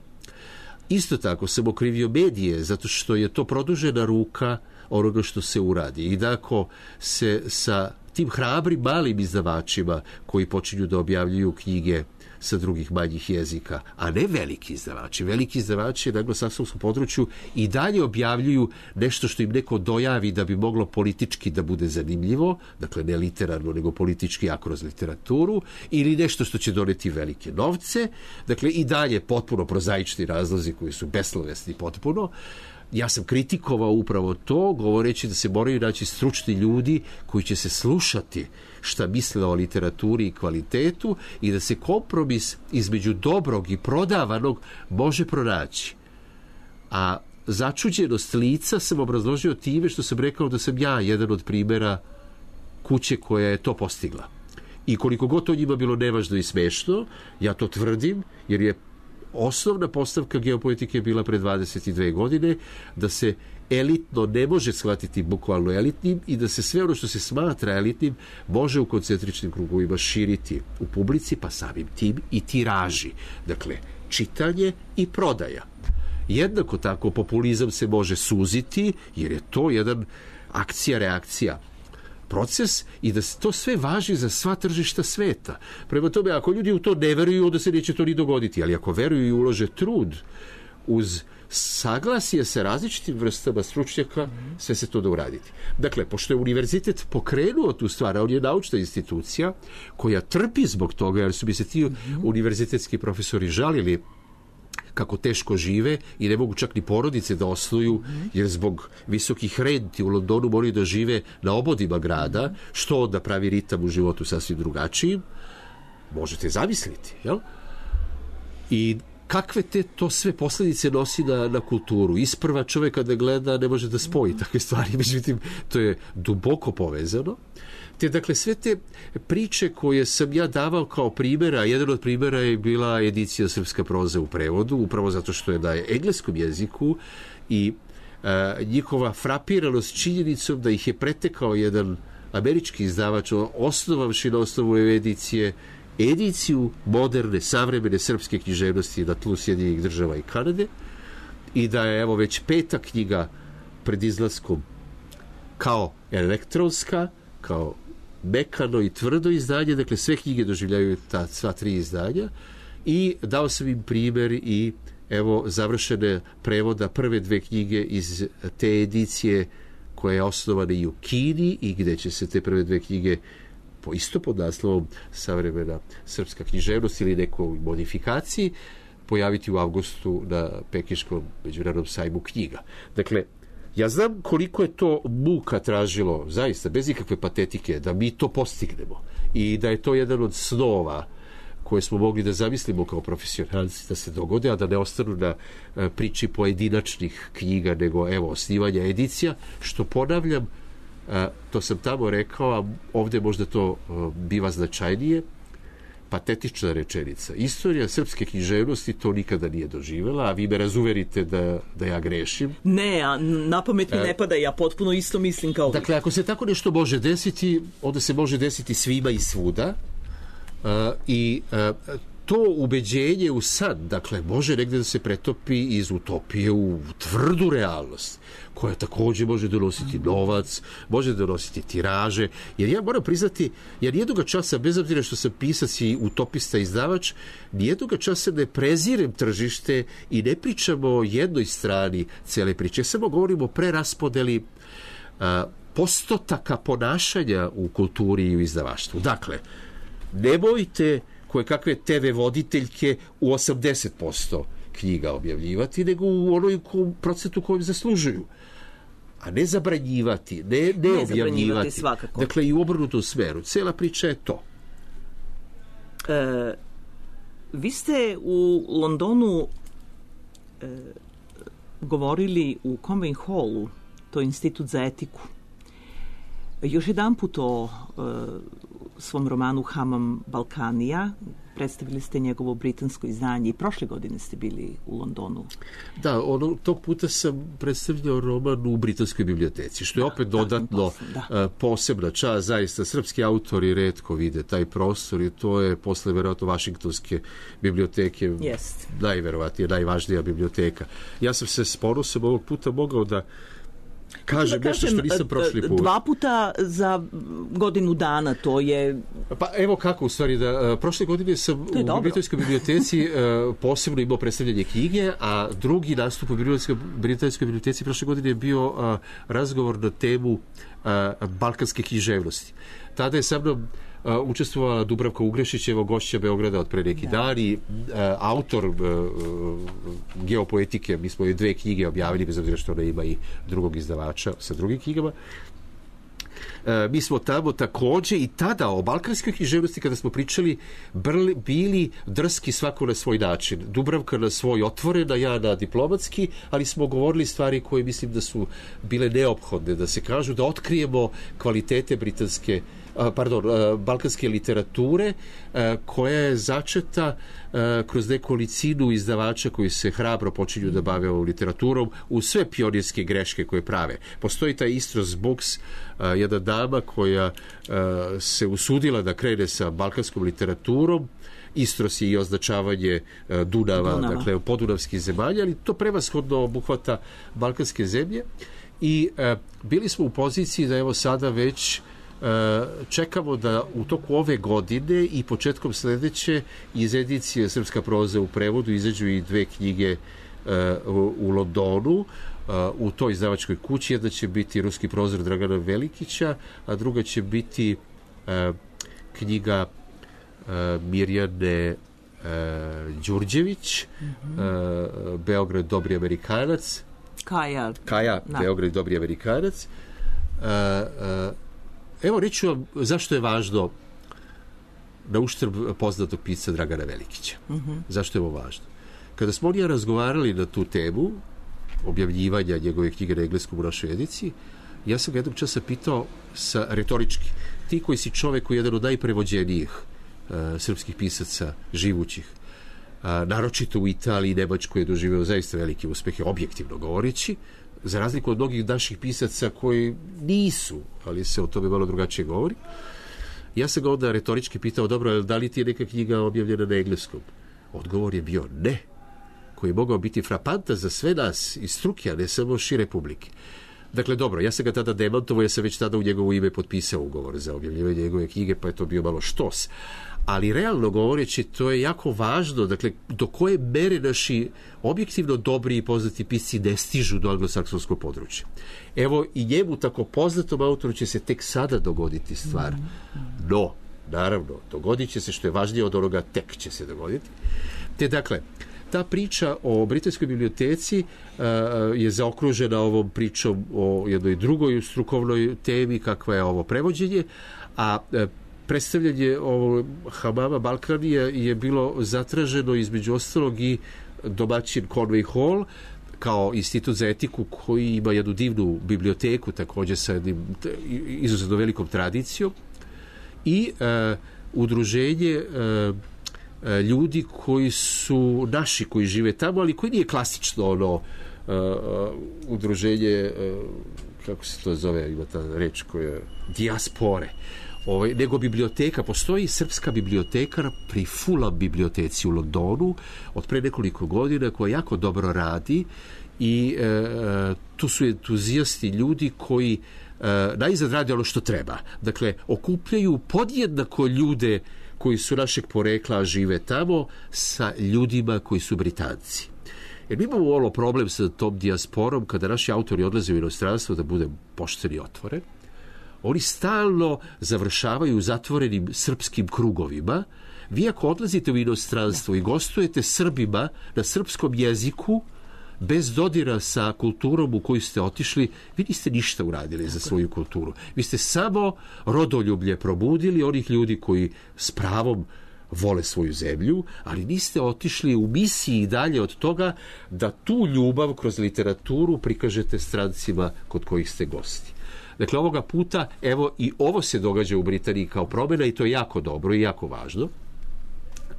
Isto tako sam okrivio medije, zato što je to produžena ruka onoga što se uradi. I da ako se sa tim hrabrim malim izdavačima koji počinju da objavljuju knjige sa drugih manjih jezika, a ne veliki izdavači. Veliki izdavači na anglosaksonskom području i dalje objavljuju nešto što im neko dojavi da bi moglo politički da bude zanimljivo, dakle ne literarno, nego politički, a kroz literaturu, ili nešto što će doneti velike novce, dakle i dalje potpuno prozaični razlozi koji su beslovesni potpuno. Ja sam kritikovao upravo to, govoreći da se moraju naći stručni ljudi koji će se slušati šta misle o literaturi i kvalitetu i da se kompromis između dobrog i prodavanog može pronaći. A začuđenost lica sam obrazložio time što sam rekao da sam ja jedan od primjera kuće koja je to postigla. I koliko god to njima bilo nevažno i smešno, ja to tvrdim, jer je osnovna postavka geopoetike je bila pre dvadeset dve godine, da se elitno ne može shvatiti bukvalno elitnim i da se sve ono što se smatra elitnim može u koncentričnim krugovima širiti u publici, pa samim tim i tiraži. Dakle, čitanje i prodaja. Jednako tako populizam se može suziti, jer je to jedan akcija-reakcija proces i da to sve važi za sva tržišta sveta. Prema tome, ako ljudi u to ne veruju, onda se neće to ni dogoditi, ali ako veruju i ulože trud uz saglasje sa različitim vrstama stručnjaka, sve se to da uraditi. Dakle, pošto je univerzitet pokrenuo tu stvar, a on je naučna institucija koja trpi zbog toga, jer su bi se ti univerzitetski profesori žalili kako teško žive i ne mogu čak ni porodice da osnuju, jer zbog visokih renti u Londonu moraju da žive na obodima grada, što onda pravi ritam u životu sasvim drugačijim. Možete zamisliti, jel? I kakve te to sve posljedice nosi na, na kulturu. Isprva čovjek kada gleda ne može da spoji takve stvari, međutim to je duboko povezano. te dakle sve te priče koje sam ja davao kao primjera, jedan od primjera je bila edicija Srpska proza u prevodu, upravo zato što je na engleskom jeziku i a, njihova frapiranost činjenicom da ih je pretekao jedan američki izdavač osnovavši na osnovu edicije ediciju moderne, savremene srpske književnosti na tlu Sjedinjenih Država i Kanade i da je evo već peta knjiga pred izlaskom kao elektronska, kao mekano i tvrdo izdanje, dakle sve knjige doživljaju ta sva tri izdanja i dao sam im primjer i evo završene prevoda prve dve knjige iz te edicije koja je osnovana i u Kini i gdje će se te prve dve knjige po isto pod naslovom Savremena srpska književnost ili nekoj modifikaciji pojaviti u avgustu na Pekinškom međunarodnom sajmu knjiga. Dakle, ja znam koliko je to muka tražilo, zaista, bez ikakve patetike, da mi to postignemo i da je to jedan od snova koje smo mogli da zamislimo kao profesionalci da se dogode, a da ne ostanu na priči pojedinačnih knjiga, nego evo, osnivanja edicija, što ponavljam, to sam tamo rekao, a ovdje možda to biva značajnije, patetična rečenica. Istorija srpske književnosti to nikada nije doživjela, a vi me razuverite da, da ja grešim. Ne, a na pamet mi ne pada, ja potpuno isto mislim kao... Dakle, ako se tako nešto može desiti, onda se može desiti svima i svuda. Uh, i uh, to ubeđenje u sad, dakle, može negdje da se pretopi iz utopije u tvrdu realnost, koja također može donositi novac, može donositi tiraže, jer ja moram priznati, jer nijednoga časa, bez obzira što sam pisac i utopista izdavač, nijednoga časa ne prezirem tržište i ne pričamo o jednoj strani cijele priče, samo govorimo o preraspodeli uh, postotaka ponašanja u kulturi i u izdavaštvu. Dakle, nemojte koje kakve te ve voditeljke u osamdeset posto knjiga objavljivati, nego u onoj procentu kojem zaslužuju. A ne zabranjivati, ne, ne, ne objavljivati. Svakako. Dakle, i u obrnutom smeru. Cijela priča je to. E, vi ste u Londonu e, govorili u Convent Hallu, to je Institut za etiku. Još jedan put o e, svom romanu Hamam Balkanija. Predstavili ste njegovo britansko izdanje i prošle godine ste bili u Londonu. Da, ono, tog puta sam predstavljao roman u britanskoj biblioteci, što je opet da, dodatno da, da. posebna čast. Zaista, srpski autori retko vide taj prostor i to je posle verovatno Vašingtonske biblioteke Jest. najverovatnije, najvažnija biblioteka. Ja sam se s ponosom ovog puta mogao da kažem nešto što nisam prošli put. Dva puta za godinu dana, to je... Pa evo kako, u stvari, da prošle godine sam u Britanskoj biblioteci posebno imao predstavljanje knjige, a drugi nastup u Britanskoj biblioteci prošle godine je bio razgovor na temu balkanske književnosti. Tada je sa mnom Uh, učestvovala Dubravka Ugrešić, evo gošća Beograda od pre neki da. dan i uh, autor uh, geopoetike, mi smo i dve knjige objavili, bez obzira što ona ima i drugog izdavača sa drugim knjigama. Uh, mi smo tamo također i tada o balkanskoj književnosti kada smo pričali brli, bili drski svako na svoj način. Dubravka na svoj otvorena, ja na diplomatski, ali smo govorili stvari koje mislim da su bile neophodne, da se kažu, da otkrijemo kvalitete britanske pardon, balkanske literature koja je začeta kroz nekolicinu izdavača koji se hrabro počinju da bave ovom literaturom u sve pionirske greške koje prave. Postoji taj Istros Books, jedna dama koja se usudila da krene sa balkanskom literaturom. Istros je i označavanje Dunava, Dunava. dakle podunavskih zemalja, ali to prevashodno obuhvata balkanske zemlje i bili smo u poziciji da evo sada već čekamo da u toku ove godine i početkom sljedeće iz edicije Srpska proza u prevodu izađu i dve knjige u, u Londonu u toj izdavačkoj kući. Jedna će biti Ruski prozor Dragana Velikića, a druga će biti knjiga Mirjane Đurđević, mm-hmm. Beograd dobri Amerikanac. Kaja. Kaja, da. Beograd dobri Amerikanac. Evo, reću vam zašto je važno na uštrb poznatog pisca Dragana Velikića. Mm-hmm. Zašto je ovo važno? Kada smo oni razgovarali na tu temu objavljivanja njegove knjige na engleskom u našoj ediciji, Ja sam ga jednog časa pitao sa retorički, ti koji si čovek koji je jedan od najprevođenijih uh, srpskih pisaca živućih, uh, naročito u Italiji i Nemačkoj je doživeo zaista velike uspehe, objektivno govoreći, za razliku od mnogih naših pisaca koji nisu, ali se o tome malo drugačije govori. Ja sam ga onda retorički pitao, dobro, da li ti je neka knjiga objavljena na engleskom? Odgovor je bio ne, koji je mogao biti frapantan za sve nas iz struke, a ne samo šire publike. Dakle, dobro, ja sam ga tada demantovao, ja sam već tada u njegovo ime potpisao ugovor za objavljivanje njegove knjige, pa je to bio malo štos. Ali realno govoreći, to je jako važno, dakle, do koje mere naši objektivno dobri i poznati pisci ne stižu do anglosaksonskog područja. Evo, i njemu tako poznatom autoru će se tek sada dogoditi stvar. No, naravno, dogodit će se, što je važnije od onoga, tek će se dogoditi. Te, dakle, ta priča o britanskoj biblioteci uh, je zaokružena ovom pričom o jednoj drugoj strukovnoj temi kakva je ovo prevođenje, a uh, predstavljanje ovo Hamama Balkanija je bilo zatraženo između ostalog i domaćin Conway Hall kao institut za etiku koji ima jednu divnu biblioteku također sa jednim izuzetno velikom tradicijom i uh, udruženje uh, ljudi koji su naši, koji žive tamo, ali koji nije klasično ono uh, udruženje, uh, kako se to zove, ima ta reč koja dijaspore, ovaj, nego biblioteka. Postoji srpska biblioteka pri Fulham biblioteci u Londonu od pre nekoliko godina koja jako dobro radi i uh, tu su entuzijasti ljudi koji uh, najzad rade ono što treba. Dakle, okupljaju podjednako ljude koji su našeg porekla, a žive tamo, sa ljudima koji su Britanci. Jer mi imamo ovo problem sa tom dijasporom, kada naši autori odlaze u inostranstvo, da bude pošten i otvoren, oni stalno završavaju u zatvorenim srpskim krugovima. Vi ako odlazite u inostranstvo i gostujete Srbima na srpskom jeziku, bez dodira sa kulturom u koju ste otišli, vi niste ništa uradili za svoju kulturu. Vi ste samo rodoljublje probudili onih ljudi koji s pravom vole svoju zemlju, ali niste otišli u misiji dalje od toga da tu ljubav kroz literaturu prikažete strancima kod kojih ste gosti. Dakle, ovoga puta, evo, i ovo se događa u Britaniji kao promjena i to je jako dobro i jako važno.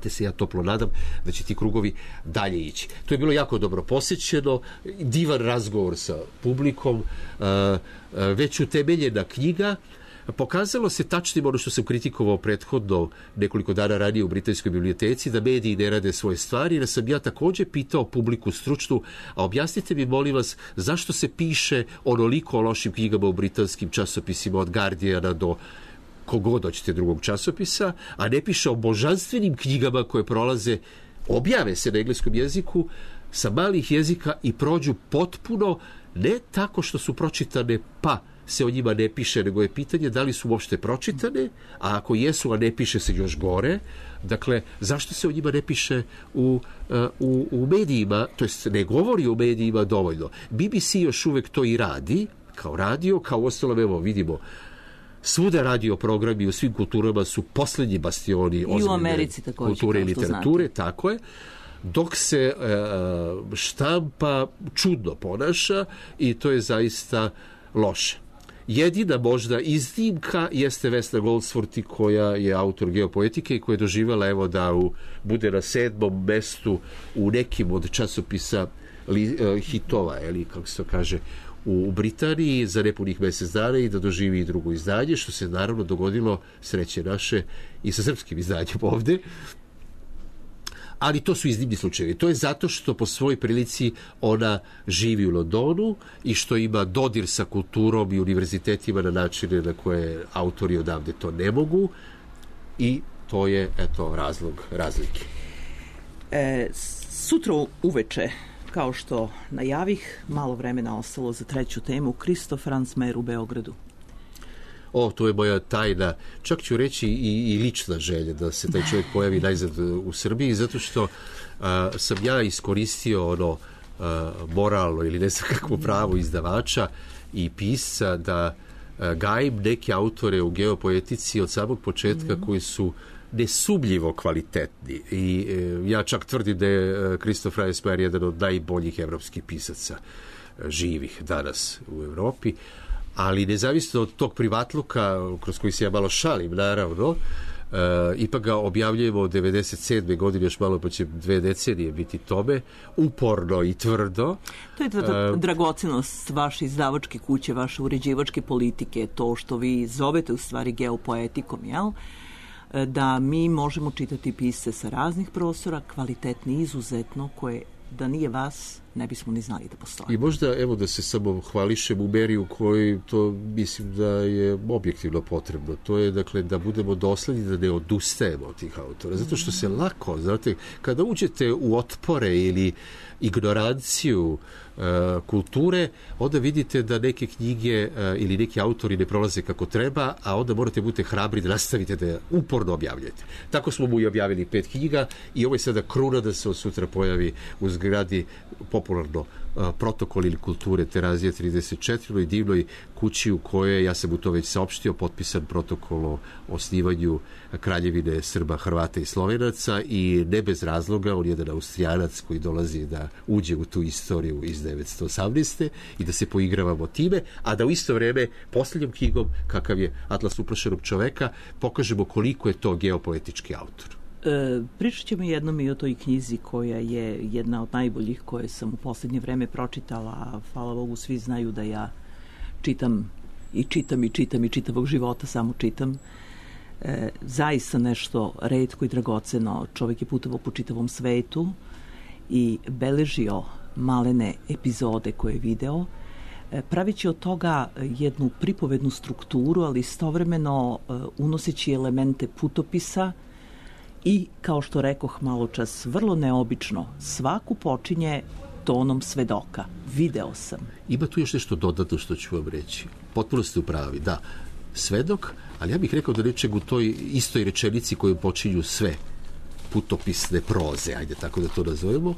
Te se ja toplo nadam da će ti krugovi dalje ići. To je bilo jako dobro posjećeno, divan razgovor sa publikom, već utemeljena knjiga. Pokazalo se tačnim ono što sam kritikovao prethodno nekoliko dana ranije u Britanskoj biblioteci, da mediji ne rade svoje stvari, da sam ja također pitao publiku stručnu, a objasnite mi, molim vas, zašto se piše onoliko o lošim knjigama u britanskim časopisima od Guardiana do kogod hoćete drugog časopisa, a ne piše o božanstvenim knjigama koje prolaze, objave se na engleskom jeziku sa malih jezika i prođu potpuno, ne tako što su pročitane pa se o njima ne piše, nego je pitanje da li su uopšte pročitane, a ako jesu, a ne piše se još gore. Dakle, zašto se o njima ne piše u, u, u medijima, to jest ne govori o medijima dovoljno. B B C još uvek to i radi, kao radio, kao uostalom, evo vidimo, svuda radio programi u svim kulturama su posljednji bastioni ozbiljne kulture i literature, tako je, dok se e, štampa čudno ponaša i to je zaista loše. Jedina možda iznimka jeste Vesna Goldsworthy, koja je autor geopoetike i koja je doživjela, evo, da u, bude na sedmom mestu u nekim od časopisa li, e, hitova, ili kako se to kaže, u Britaniji za nepunih mjesec dana i da doživi i drugo izdanje, što se naravno dogodilo, sreće naše, i sa srpskim izdanjem ovdje. Ali to su iznimni slučajevi. To je zato što po svojoj prilici ona živi u Londonu i što ima dodir sa kulturom i univerzitetima na načine na koje autori odavde to ne mogu, i to je, eto, razlog razlike. E, sutra uveče, kao što najavih, malo vremena ostalo za treću temu, Kristof Ransmayr u Beogradu. O, to je moja tajna, čak ću reći i, i lična želja da se taj čovjek pojavi najzad u Srbiji, zato što a, sam ja iskoristio ono a, moralno ili ne znam kakvo pravo izdavača i pisca da a, gajim neke autore u geopoetici od samog početka mm. koji su nesumljivo kvalitetni. I e, ja čak tvrdim da je Kristof Ransmayr jedan od najboljih evropskih pisaca živih danas u Evropi. ali nezavisno od tog privatluka kroz koji se ja malo šalim, naravno, Uh, ipak ga objavljujemo od devedeset sedme godine, još malo pa će dve decenije biti tome, uporno i tvrdo. To je ta dragocenost vaše izdavačke kuće, vaše uređivačke politike, to što vi zovete u stvari geopoetikom, jel? Da mi možemo čitati pisce sa raznih prostora, kvalitetni izuzetno, koje da nije vas ne bismo ni znali da postoje. I možda, evo da se samo hvališem u meri u kojoj to mislim da je objektivno potrebno. To je, dakle, da budemo dosledni, da ne odustajemo od tih autora. Zato što se lako, znate, kada uđete u otpore ili ignoranciju uh, kulture, onda vidite da neke knjige uh, ili neki autori ne prolaze kako treba, a onda morate budete hrabri da nastavite da uporno objavljujete. Tako smo mu i objavili pet knjiga i ovo je sada kruna da se od sutra pojavi u zgradi popularno uh, protokol ili kulture Terazije trideset četiri i divnoj kući u kojoj, ja sam u to već saopštio, potpisan protokol o osnivanju Kraljevine Srba, Hrvata i Slovenaca i ne bez razloga, on je jedan Austrijanac koji dolazi da uđe u tu istoriju iz devetsto osamnaeste i da se poigravamo time, a da u isto vreme posljednjom knjigom, kakav je Atlas uplašenog čoveka, pokažemo koliko je to geopoetički autor. E, pričat ćemo jednom i o toj knjizi koja je jedna od najboljih koje sam u posljednje vreme pročitala, a hvala Bogu svi znaju da ja čitam i čitam i čitam i čitavog života samo čitam. E, zaista nešto retko i dragoceno. Čovjek je putovao po čitavom svetu i beležio malene epizode koje je video, e, pravići od toga jednu pripovednu strukturu, ali istovremeno e, unoseći elemente putopisa i, kao što rekoh malo čas, vrlo neobično, svaku počinje tonom svedoka. Video sam. Ima tu još nešto dodatno što ću vam reći. Potpuno ste u pravi, da. Svedok, ali ja bih rekao da nečeg u toj istoj rečenici koju počinju sve putopisne proze, ajde tako da to nazovemo,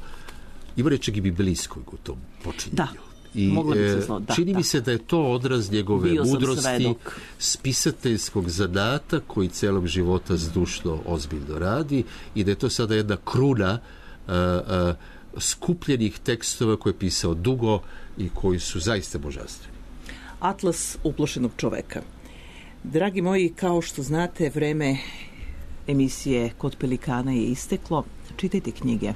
ima nečeg i biblijskog u tom počinjenju. Da. I e, da, čini da. mi se da je to odraz njegove Bio mudrosti, spisateljskog zanata koji celog života zdušno ozbiljno radi i da je to sada jedna kruna a, a, skupljenih tekstova koje je pisao dugo i koji su zaista božanstveni. Atlas uplašenog čoveka. Dragi moji, kao što znate, vreme emisije Kod pelikana je isteklo. Čitajte knjige.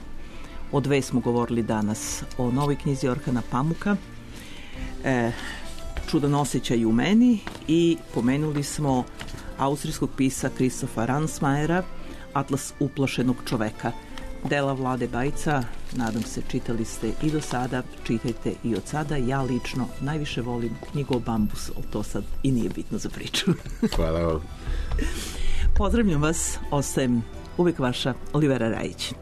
O dve smo govorili danas. O novoj knjizi Orhana Pamuka, e, Čudan osjećaj u meni, i pomenuli smo austrijskog pisa Kristofa Ransmayera, Atlas uplašenog čoveka. Dela Vlade Bajca, nadam se čitali ste i do sada, čitajte i od sada. Ja lično najviše volim knjigu o bambusu, ali to sad i nije bitno za priču. Hvala vam. Pozdravljam vas, ostajem uvijek vaša Olivera Rajić.